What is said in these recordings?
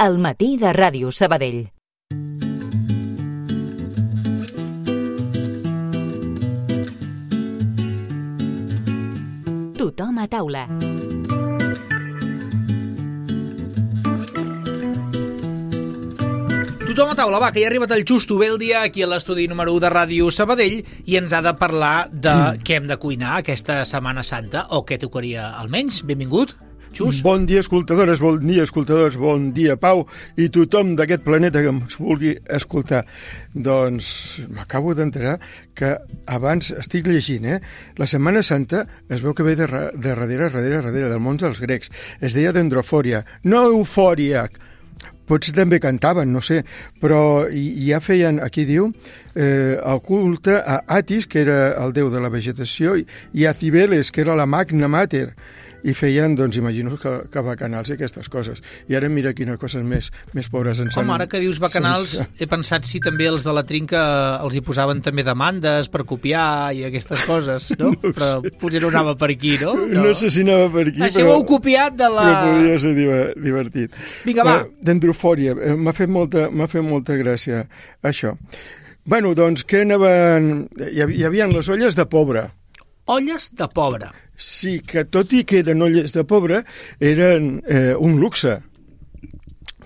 al matí de Ràdio Sabadell. Tothom a taula. Tothom a taula, va, que ja ha arribat el Xusto Beldia aquí a l'estudi número 1 de Ràdio Sabadell i ens ha de parlar de què hem de cuinar aquesta Setmana Santa, o què tocaria almenys. Benvingut, Xus. Bon dia, escoltadores, bon dia, escoltadors, bon dia, Pau, i tothom d'aquest planeta que ens vulgui escoltar. Doncs m'acabo d'enterar que abans estic llegint, la Setmana Santa es veu que ve de darrere del món dels grecs. Es deia dendrofòria, no eufòria. Potser també cantaven, no sé, però ja feien, aquí diu, el culte a Atis, que era el déu de la vegetació, i a Cibeles, que era la magna mater, i feien, doncs, imagino que bacanals i aquestes coses. I ara mira quines coses més pobres ens han... Home, ara que dius bacanals, he pensat si també els de la trinca els hi posaven també demandes per copiar i aquestes coses, no? Però potser no anava per aquí, no? No sé si anava per aquí, però... heu copiat de la... Però podria ser divertit. Vinga, va. Dendrofòria, m'ha fet molta gràcia, això. Bueno, doncs, què anaven... Hi havia les olles de pobre. Olles de pobre. Sí, que tot i que eren olles de pobre, eren un luxe,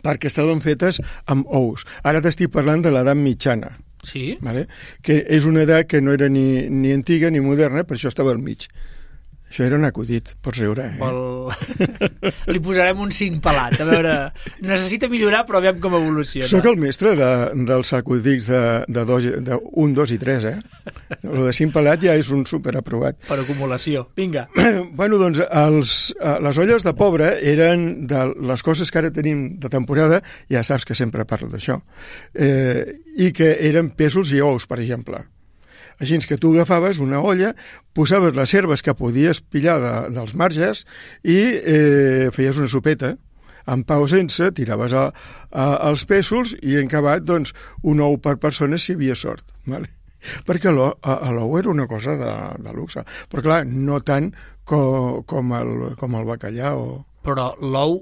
perquè estaven fetes amb ous. Ara t'estic parlant de l'edat mitjana. Sí? Vale? Que és una edat que no era ni antiga ni moderna, per això estava al mig. Això era un acudit, pots riure. Li posarem un 5 pelat, a veure... Necessita millorar, però aviam com evoluciona. Soc el mestre dels acudits de 1, 2 i 3, El de 5 pelat ja és un superaprovat. Per acumulació. Vinga. Bueno, doncs, les olles de pobre eren de les coses que ara tenim de temporada, ja saps que sempre parlo d'això, i que eren pèsols i ous, per exemple. Així que tu agafaves una olla, posaves les herbes que podies pillar dels marges i feies una sopeta. En pa o sense, tiraves els pèsols i en acabat, doncs, un ou per persona si hi havia sort. Vale? Perquè l'ou era una cosa de luxe. Però clar, no tant com el bacallà o... Però l'ou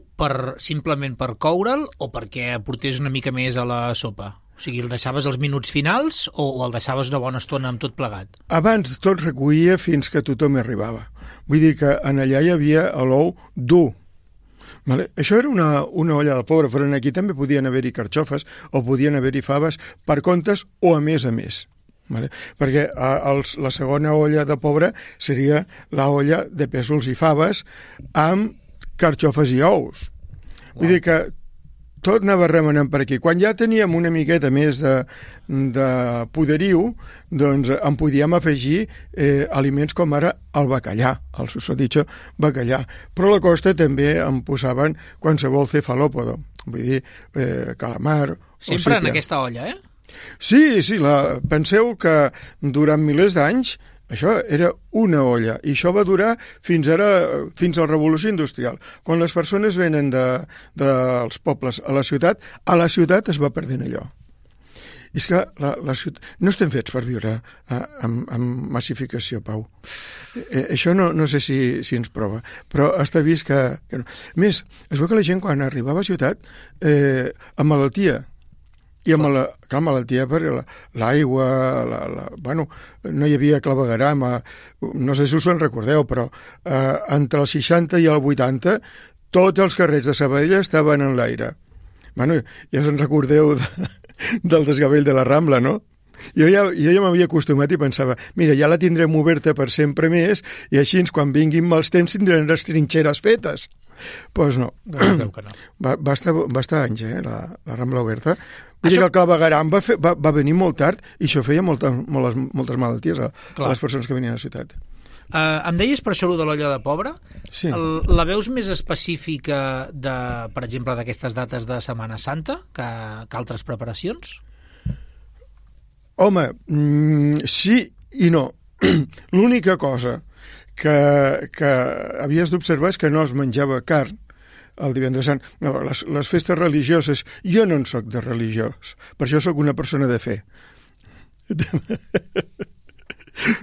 simplement per coure'l o perquè aportés una mica més a la sopa? O sigui, el deixaves als minuts finals o el deixaves una bona estona amb tot plegat? Abans tot recollia fins que tothom hi arribava. Vull dir que en allà hi havia l'ou dur. Vale? Això era una olla de pobre, però aquí també podien haver-hi carxofes o podien haver-hi faves per comptes o a més a més. Vale? Perquè la segona olla de pobre seria la olla de pèsols i faves amb carxofes i ous. Vull dir que tot anava remenant per aquí. Quan ja teníem una miqueta més de poderiu, doncs en podíem afegir aliments com ara el bacallà, el susodicho bacallà. Però a la costa també en posaven qualsevol cefalòpodo, vull dir, calamar... Sempre en aquesta olla, Sí, penseu que durant milers d'anys això era una olla, i això va durar fins a la Revolució Industrial. Quan les persones venen dels pobles a la ciutat es va perdent allò. I és que no estem fets per viure amb massificació, Pau. Això no sé si ens prova, però està vist que no. A més, es veu que la gent quan arribava a ciutat amb malaltia, i amb la malaltia per l'aigua, bueno, no hi havia clavegueram, no sé si us en recordeu, però entre el 60 i el 80 tots els carrers de Sabadell estaven en l'aire. Bueno, ja us en recordeu del desgavell de la Rambla, no? Jo ja m'havia acostumat i pensava, mira, ja la tindrem oberta per sempre més i així quan vinguin mals temps tindrem les trinxeres fetes. Doncs no. Va estar anys, la Rambla oberta. Vull dir que el clavegueram va venir molt tard i això feia moltes malalties a les persones que venien a la ciutat. Em deies per això de l'olla de pobre? Sí. La veus més específica, per exemple, d'aquestes dates de Setmana Santa que altres preparacions? Home, sí i no. L'única cosa que havies d'observar és que no es menjava carn el divendres sant. No, les festes religioses, jo no en soc de religiós, per això sóc una persona de fe.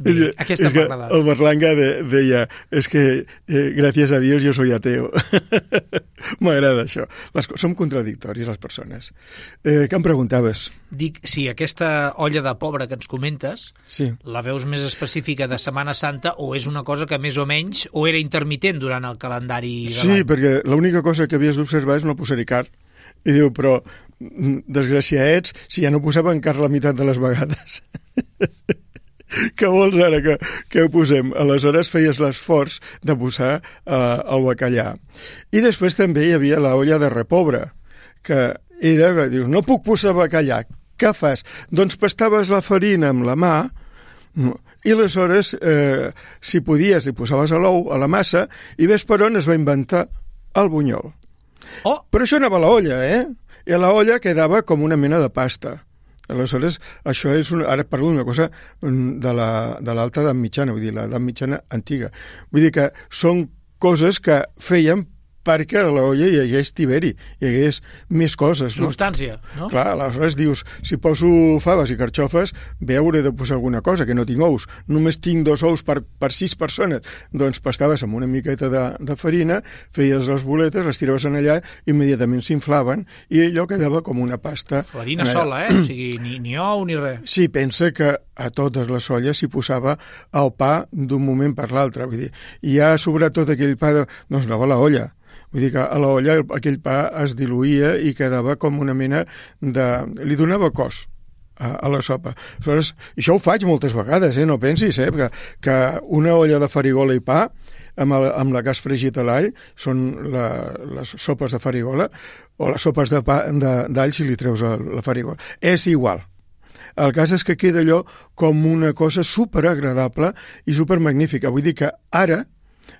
Bé, aquesta m'ha agradat. El Berlanga deia, és que gràcies a Dios yo soy ateo. M'agrada això. Som contradictoris, les persones. Què em preguntaves? Dic, si aquesta olla de pobre que ens comentes, Sí. la veus més específica de Setmana Santa o és una cosa que més o menys o era intermitent durant el calendari de Sí, l'any? perquè l'única cosa que havies d'observar és no posar-hi carn. I diu, però, desgraciaets, si ja no posaven carn la meitat de les vegades. Què vols ara que ho posem? Aleshores feies l'esforç de posar el bacallà. I després també hi havia la olla de repobre, que era, que dius, no puc posar bacallà, què fas? Doncs pastaves la farina amb la mà i aleshores, si podies, li posaves l'ou a la massa i ves per on es va inventar el bunyol. Oh, Però això anava a la olla, I a la olla quedava com una mena de pasta. Aleshores, això és ara parlo d'una cosa de l'alta edat mitjana, vull dir, l'edat mitjana antiga. Vull dir que són coses que feien perquè a la olla hi hagués tiberi, hi hagués més coses. No? substància, no? Clar, aleshores dius, si poso faves i carxofes, bé hauré de posar alguna cosa, que no tinc ous. Només tinc 2 ous per 6 persones. Doncs pastaves amb una miqueta de farina, feies les boletes, les tiraves en allà, immediatament s'inflaven i allò quedava com una pasta. Farina sola, O sigui, ni ou ni res. Sí, pensa que a totes les olles s'hi posava el pa d'un moment per l'altre. Vull dir, i ja sobrat tot aquell pa, doncs anava a la olla. Vull dir que a la olla aquell pa es diluïa i quedava com una mena de... li donava cos a la sopa. Aleshores, això ho faig moltes vegades, no pensis, que una olla de farigola i pa amb la que has fregit a l'all són les sopes de farigola o les sopes d'all si li treus la farigola. És igual. El cas és que queda allò com una cosa superagradable i supermagnífica. Vull dir que ara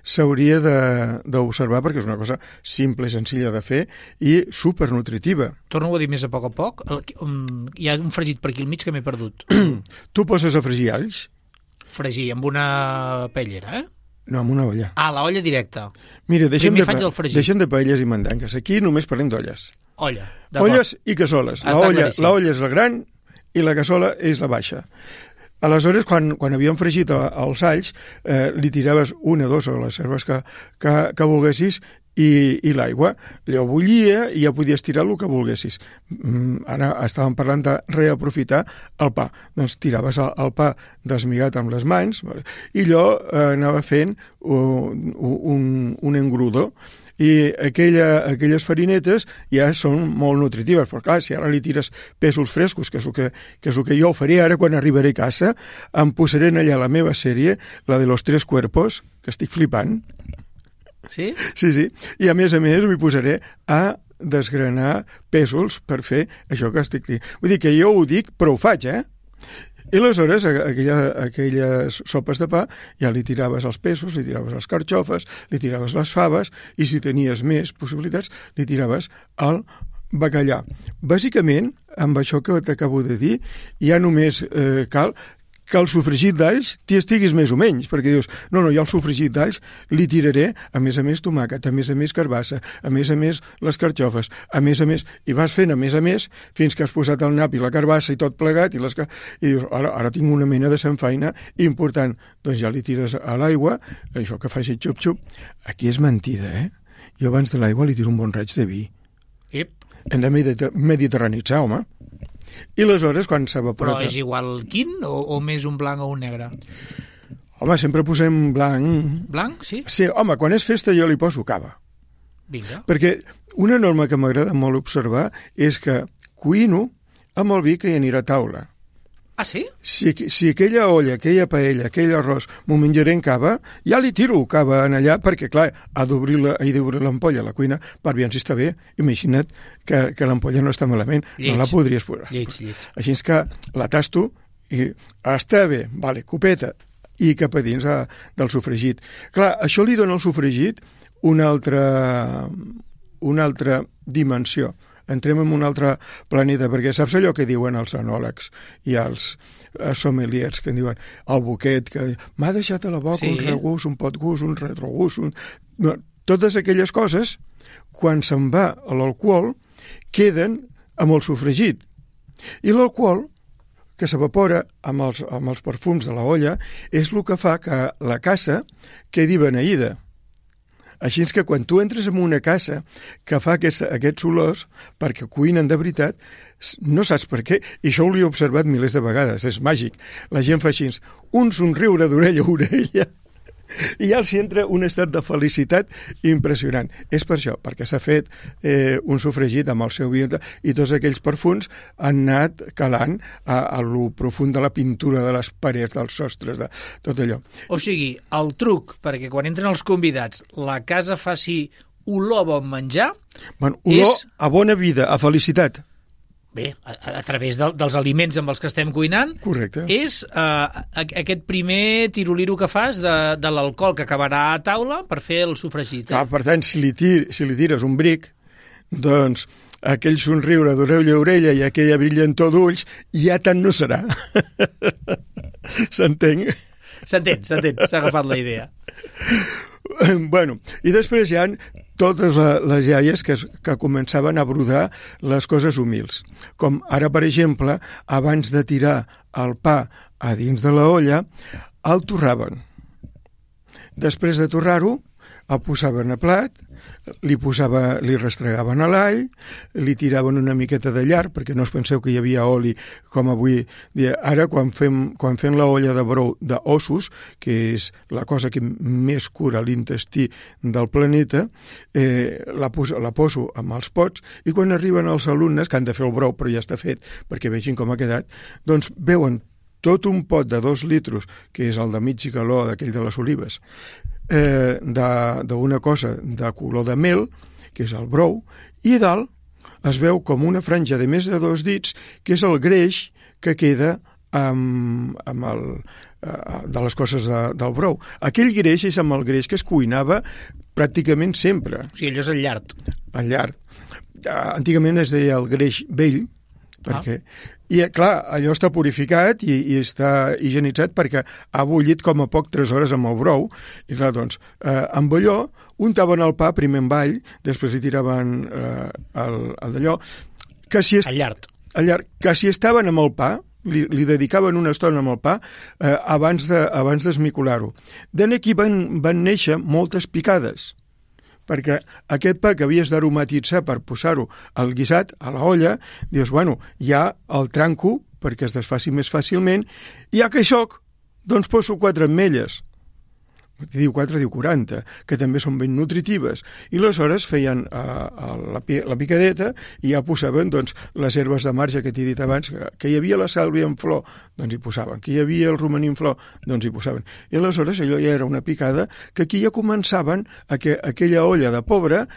s'hauria d'observar perquè és una cosa simple i senzilla de fer i supernutritiva. Torno a dir més a poc. Hi ha un fregit per aquí al mig que m'he perdut. Tu poses a fregir alls? Fregir amb una paellera, No, amb una olla. Ah, la olla directa. Mira, Primer faig el fregit. deixem de paelles i mandangues. Aquí només parlem d'olles. Olla, d'acord. Olles i cassoles. Està claríssim. La olla és la gran i la cassola és la baixa. Aleshores, quan havíem fregit els alls, li tiraves 1 o 2 o les herbes que volguessis i l'aigua. Allò bullia i ja podies tirar el que volguessis. Ara estàvem parlant de reaprofitar el pa. Doncs tiraves el pa desmigat amb les mans i allò anava fent un engrudo. I aquelles farinetes ja són molt nutritives, però clar, si ara li tires pèsols frescos, que és el que jo faré ara quan arribaré a casa, em posaré allà la meva sèrie, la de los 3 cuerpos, que estic flipant. Sí? Sí. I a més m'hi posaré a desgranar pèsols per fer això que estic dient. Vull dir que jo ho dic, però ho faig, I aleshores, aquelles sopes de pa, ja li tiraves els pèsols, li tiraves les carxofes, li tiraves les faves, i si tenies més possibilitats, li tiraves el bacallà. Bàsicament, amb això que t'acabo de dir, ja només cal que el sofregit d'alls t'hi estiguis més o menys, perquè dius, no, jo el sofregit d'alls li tiraré, a més tomàquet, a més carbassa, a més les carxofes, a més, i vas fent a més, fins que has posat el nap i la carbassa i tot plegat, i dius, ara tinc una mena de samfaina important. Doncs ja li tires a l'aigua, això que faci xup-xup. Aquí és mentida, Jo abans de l'aigua li tiro un bon raig de vi. Ep. Hem de mediterranitzar, home. I aleshores, quan s'evapora... Però és igual quin o més un blanc o un negre? Home, sempre posem blanc. Blanc, sí? Sí, home, quan és festa jo li poso cava. Vinga. Perquè una norma que m'agrada molt observar és que cuino amb el vi que hi anirà a taula. Ah, sí? Si aquella olla, aquella paella, aquell arròs m'ho menjaré en cava, ja li tiro cava en allà perquè, clar, ha d'obrir l'ampolla a la cuina per veure si està bé. Imagina't que l'ampolla no està malament, no la podries posar. Lleig. Així és que la tasto i està bé, vale, copeta, i cap a dins del sofregit. Clar, això li dona al sofregit una altra dimensió. Entrem en un altre planeta, perquè saps allò que diuen els enòlegs i els sommeliers, que diuen el boquet, que m'ha deixat a la boca un regust, un potgust, un retrogust... Totes aquelles coses, quan se'n va a l'alcohol, queden amb el sofregit. I l'alcohol, que s'evapora amb els perfums de la olla és el que fa que la casa quedi beneïda. Així que quan tu entres en una casa que fa aquests olors, perquè cuinen de veritat, no saps per què, i això ho he observat milers de vegades, és màgic. La gent fa així, un somriure d'orella a orella, i ja els entra un estat de felicitat impressionant. És per això, perquè s'ha fet un sofregit amb el seu vi i tots aquells perfums han anat calant a lo profund de la pintura de les parets, dels sostres, de tot allò. O sigui, el truc perquè quan entren els convidats la casa faci olor a bon menjar olor a bona vida, a felicitat. Bé, a través dels aliments amb els que estem cuinant. Correcte. És aquest primer tiroliro que fas de l'alcohol que acabarà a taula per fer el sofregit. Clar, per tant, si li tires un bric, doncs aquell somriure d'orella a orella i aquella brillantor d'ulls ja tant no serà. S'entén? S'entén, s'ha agafat la idea. Bueno, i després hi ha totes les iaies que començaven a brodar les coses humils. Com ara, per exemple, abans de tirar el pa a dins de la olla, el torraven. Després de torrar-ho, el posaven a plat, li restregaven a l'all, li tiraven una miqueta de llar, perquè no us penseu que hi havia oli com avui dia. Ara, quan fem la olla de brou d'ossos, que és la cosa que més cura l'intestí del planeta, la poso amb els pots, i quan arriben els alumnes, que han de fer el brou, però ja està fet, perquè vegin com ha quedat, doncs veuen tot un pot de 2 litres, que és el de mig galó d'aquell de les olives, d'una cosa de color de mel, que és el brou, i a dalt es veu com una franja de més de 2 dits, que és el greix que queda de les coses del brou. Aquell greix és amb el greix que es cuinava pràcticament sempre. O sigui, allò és el llard. El llard. Antigament es deia el greix vell, perquè... I, clar, allò està purificat i està higienitzat perquè ha bullit com a poc 3 hores amb el brou. I, clar, doncs, amb allò untaven el pa primer amb all, després li tiraven el d'allò... El llard. El llard, que si estaven amb el pa, li dedicaven una estona amb el pa abans d'esmicolar-ho. D'aquí van néixer moltes picades, perquè aquest pa que havies d'aromatitzar per posar-ho al guisat, a la olla, dius, bueno, ja el tranco perquè es desfaci més fàcilment, i ja que soc, doncs poso 4 ametlles. Diu 4, diu 40, que també són ben nutritives. I aleshores feien la picadeta i ja posaven doncs, les herbes de marge que t'he dit abans, que hi havia la sàlvia en flor, doncs hi posaven, que hi havia el romaní en flor, doncs hi posaven. I aleshores allò ja era una picada que aquí ja començaven a que aquella olla de pobre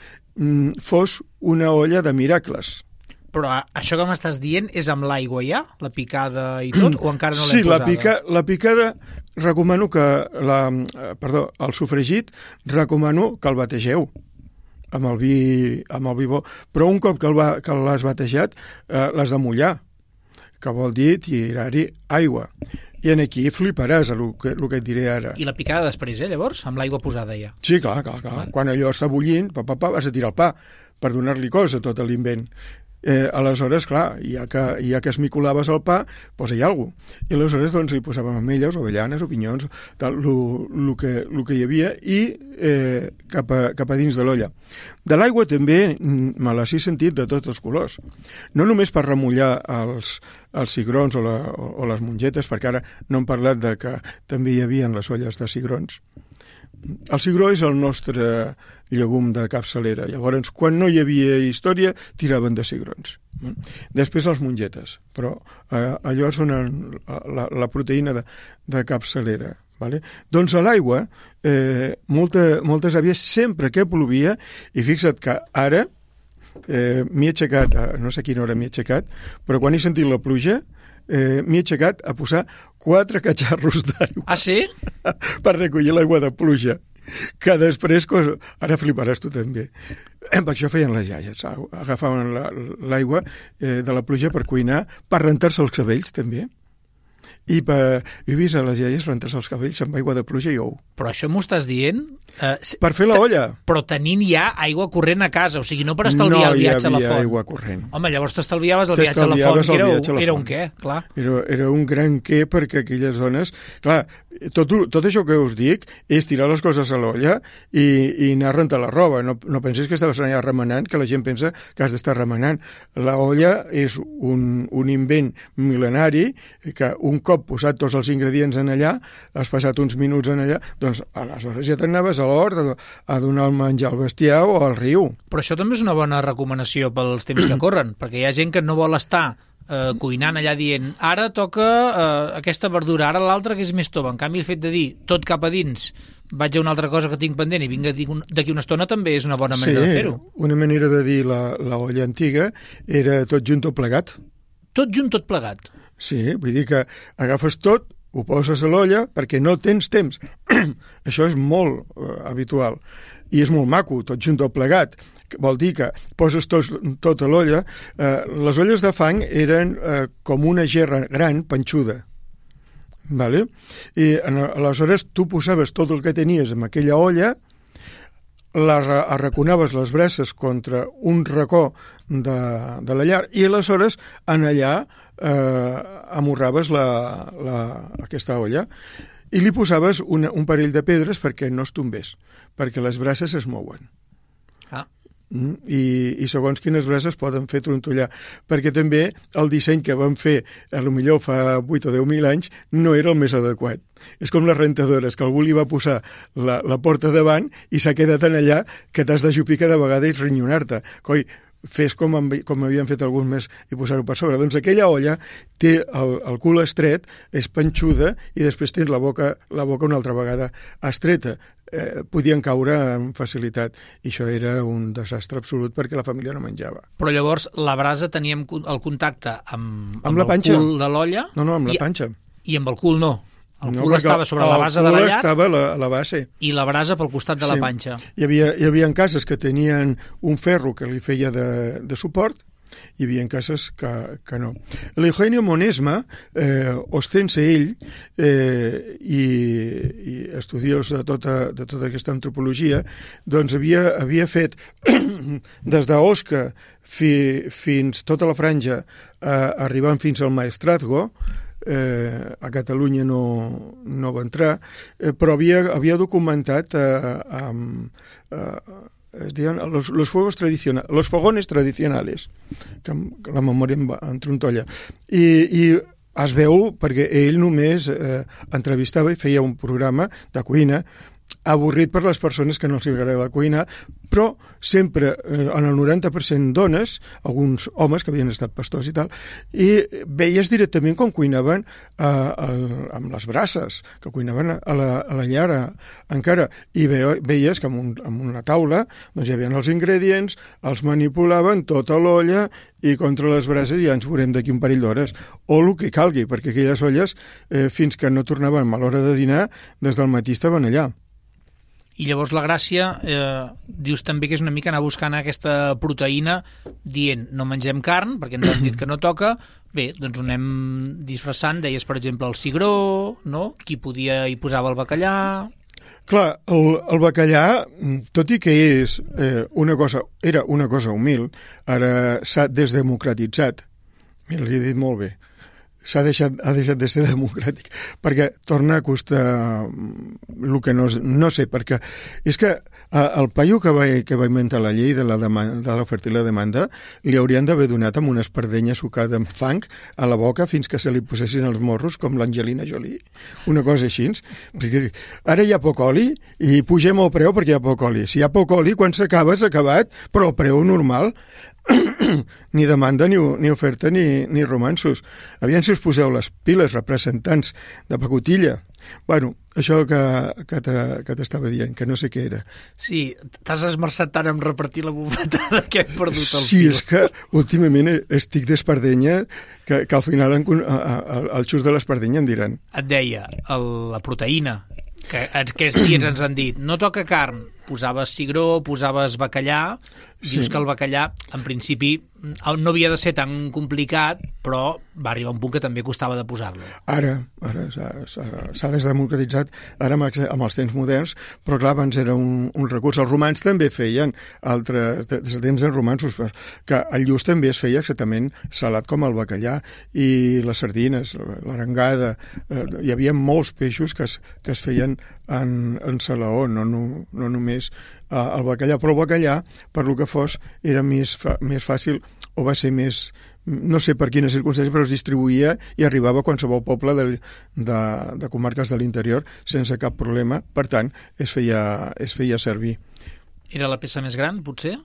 fos una olla de miracles. Però això que m'estàs dient és amb l'aigua ja? La picada i tot? O encara no l'hem posada? Sí, la picada recomano que... el sofregit recomano que el bategeu amb el vi bo. Però un cop que l'has batejat, l'has de mullar, que vol dir tirar-hi aigua. I aquí fliparàs el que et diré ara. I la picada després, llavors? Amb l'aigua posada ja? Sí, clar. Quan allò està bullint, vas a tirar el pa per donar-li cos a tot l'invent. Aleshores, clar, ja que esmicolaves el pa, posa-hi alguna cosa. I aleshores doncs, hi posàvem ametlles, o avellanes, o pinyons, el que hi havia, i cap a dins de l'olla. De l'aigua també me l'has sentit de tots els colors. No només per remullar els cigrons o les mongetes, perquè ara no hem parlat de que també hi havia les olles de cigrons. El cigró és el nostre llegum de capçalera. Llavors, quan no hi havia història, tiraven de cigrons. Després les mongetes, però allò són la proteïna de capçalera. Vale? Doncs a l'aigua, moltes àvies, sempre que plovia, i fixa't que ara m'he aixecat, no sé a quina hora m'he aixecat, però quan he sentit la pluja, m'he aixecat a posar 4 catxarros d'aigua. Ah, sí? Per recollir l'aigua de pluja, que després, ara fliparàs tu també. Per això feien les iaies, agafaven l'aigua de la pluja per cuinar, per rentar-se els cabells també. i he vist a les iaies rentar-se els cabells amb aigua de pluja i ou. Però això m'ho estàs dient? Per fer la olla. Però tenint ja aigua corrent a casa, o sigui, no per estalviar el viatge a la font. No hi havia aigua corrent. Home, llavors t'estalviaves el viatge a la font, que era un què, clar. Era un gran què, perquè aquelles dones... Clar, tot això que us dic és tirar les coses a l'olla i anar a rentar la roba. No pensis que estaves allà remenant, que la gent pensa que has d'estar remenant. La olla és un invent mil·lenari que un cop posat tots els ingredients en allà, has passat uns minuts en allà, doncs aleshores ja t'anaves a l'hort a donar el menjar al bestiar o al riu. Però això també és una bona recomanació pels temps que corren, perquè hi ha gent que no vol estar cuinant allà dient ara toca aquesta verdura, ara l'altra que és més tova. En canvi, el fet de dir tot cap a dins, vaig a una altra cosa que tinc pendent i vinc d'aquí una estona, també és una bona manera de fer-ho. Una manera de dir la olla antiga era tot junt, tot plegat. Tot junt, tot plegat? Sí, vull dir que agafes tot, ho poses a l'olla perquè no tens temps. Això és molt habitual i és molt maco, tot junt, tot plegat. Vol dir que poses tot a l'olla. Les olles de fang eren com una gerra gran, panxuda. Vale? I aleshores tu posaves tot el que tenies en aquella olla, arraconaves les braces contra un racó de la llar i aleshores en allà amorraves aquesta olla i li posaves un parell de pedres perquè no es tombés, perquè les braces es mouen. I segons quines braces poden fer trontollar, perquè també el disseny que van fer potser fa 8 o 10.000 anys no era el més adequat. És com les rentadores, que algú li va posar la porta davant i s'ha quedat en allà que t'has d'ajupir cada vegada i rinyonar-te. Coi, fes com havien fet alguns més i posar-ho per sobre. Doncs aquella olla té el cul estret, és panxuda i després tens la boca una altra vegada estreta. Podien caure amb facilitat i això era un desastre absolut perquè la família no menjava. Però llavors la brasa teníem el contacte amb la el panxa. cul de l'olla? No, amb la panxa. I amb el cul no? El cul estava sobre la base de la llar? El cul estava a la base. I la brasa pel costat de la panxa. Hi havia cases que tenien un ferro que li feia de suport, hi havia cases que no. L'Eugenio Monesma, ostense ell, i estudiós de tota aquesta antropologia, doncs havia fet des d'Osca fins tota la franja, arribant fins al Maestrazgo. A Catalunya no va entrar, però havia documentat es diuen los fogones tradicionales, que la memòria em trontolla. I es veu perquè ell només entrevistava i feia un programa de cuina avorrit per les persones que no els agrada cuinar, però sempre en el 90% dones, alguns homes que havien estat pastors i tal, i veies directament com cuinaven amb les braces, que cuinaven a la llar encara, i veies que amb una taula doncs hi havia els ingredients, els manipulaven tota l'olla i contra les brases ja ens veurem d'aquí un parell d'hores, o el que calgui, perquè aquelles olles, fins que no tornaven a l'hora de dinar, des del matí estaven allà. I llavors la gràcia, dius també que és una mica anar buscant aquesta proteïna dient no mengem carn, perquè ens han dit que no toca, bé, doncs ho anem disfressant, deies per exemple el cigró, no? Qui podia hi posava el bacallà... Clar, el bacallà, tot i que era una cosa humil, ara s'ha desdemocratitzat, mira, li he dit molt bé, ha deixat de ser democràtic, perquè torna a costar el que no sé, perquè és que el paio que va inventar la llei de l'oferta i la demanda li haurien d'haver donat amb una espardenya sucada amb fang a la boca fins que se li posessin els morros com l'Angelina Jolie, una cosa així, perquè ara hi ha poc oli i pugem el preu perquè hi ha poc oli. Si hi ha poc oli, quan s'acaba, s'ha acabat, però el preu normal ni demanda, ni oferta, ni romansos. Aviam si us poseu les piles, representants de pacotilla. Bueno, això que t'estava dient, que no sé què era. Sí, t'has esmerçat tant en repartir la bufetada que hem perdut el fil. Sí, és que últimament estic d'espardenya que al final el xus de l'espardenya em diran. Et deia, la proteïna, que aquests dies ens han dit no toca carn, posaves cigró, posaves bacallà, Dius que el bacallà, en principi, no havia de ser tan complicat, però va arribar un punt que també costava de posar-lo. Ara s'ha desdemocratitzat, ara amb els temps moderns, però clar, abans era un recurs. Els romans també feien altres, des de temps romansos, que el lluç també es feia exactament salat com el bacallà, i les sardines, l'arengada, hi havia molts peixos que es feien en salaó, no només el bacallà, però el bacallà, per lo que fos, era més fàcil, o va ser més, no sé per quines circumstàncies, però es distribuïa i arribava a qualsevol poble de comarques de l'interior sense cap problema, per tant es feia servir. Era la peça més gran, potser?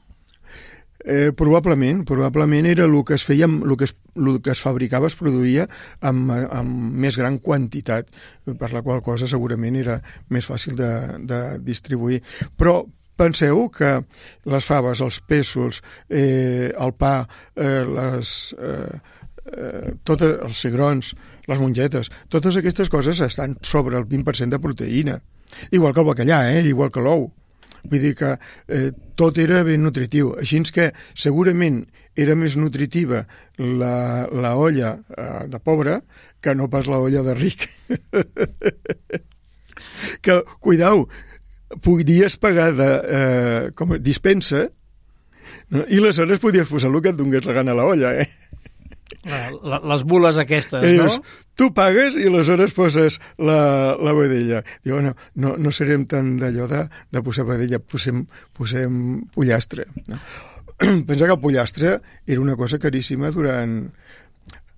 Probablement era el que es feia, el que es fabricava, es produïa amb més gran quantitat, per la qual cosa segurament era més fàcil de distribuir. Però penseu que les faves, els pèsols, el pa, els cigrons, les mongetes, totes aquestes coses estan sobre el 20% de proteïna. Igual que el bacallà, igual que l'ou. Vull dir que tot era ben nutritiu. Així que segurament era més nutritiva la olla de pobre que no pas la olla de ric. Que, cuidau, podies pagar com a dispensa, no? I aleshores podies posar el que et donés la gana a la olla, Les bules aquestes, no? Tu pagues i aleshores poses la vedella. Diu, no serem tan d'allò de posar vedella, posem pollastre. No? Pensa que el pollastre era una cosa caríssima durant...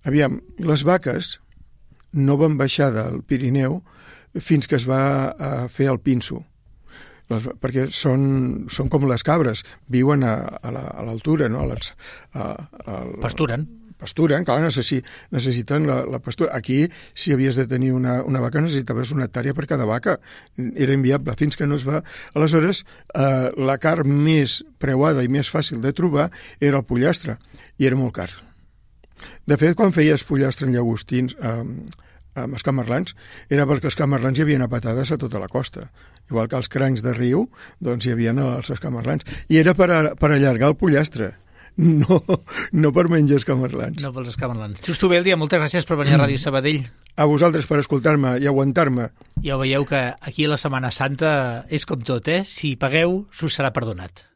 Aviam, les vaques no van baixar del Pirineu fins que es va fer el pinso, perquè són com les cabres, viuen a l'altura, no? Pasturen, clar, necessiten la pastura. Aquí, si havies de tenir una vaca, necessitaves una hectàrea per cada vaca. Era inviable, fins que no es va... Aleshores, la carn més preuada i més fàcil de trobar era el pollastre, i era molt car. De fet, quan feies pollastre en llagostins, amb escamarlans, era perquè els escamarlans hi havia a patades a tota la costa. Igual que els crancs de riu, doncs hi havia els escamarlans. I era per allargar el pollastre. No per menjar escamarlans. No pels escamarlans. Justo bé el dia, moltes gràcies per venir a Ràdio Sabadell. A vosaltres per escoltar-me i aguantar-me. Ja ho veieu que aquí la Setmana Santa és com tot, Si pagueu, s'us serà perdonat.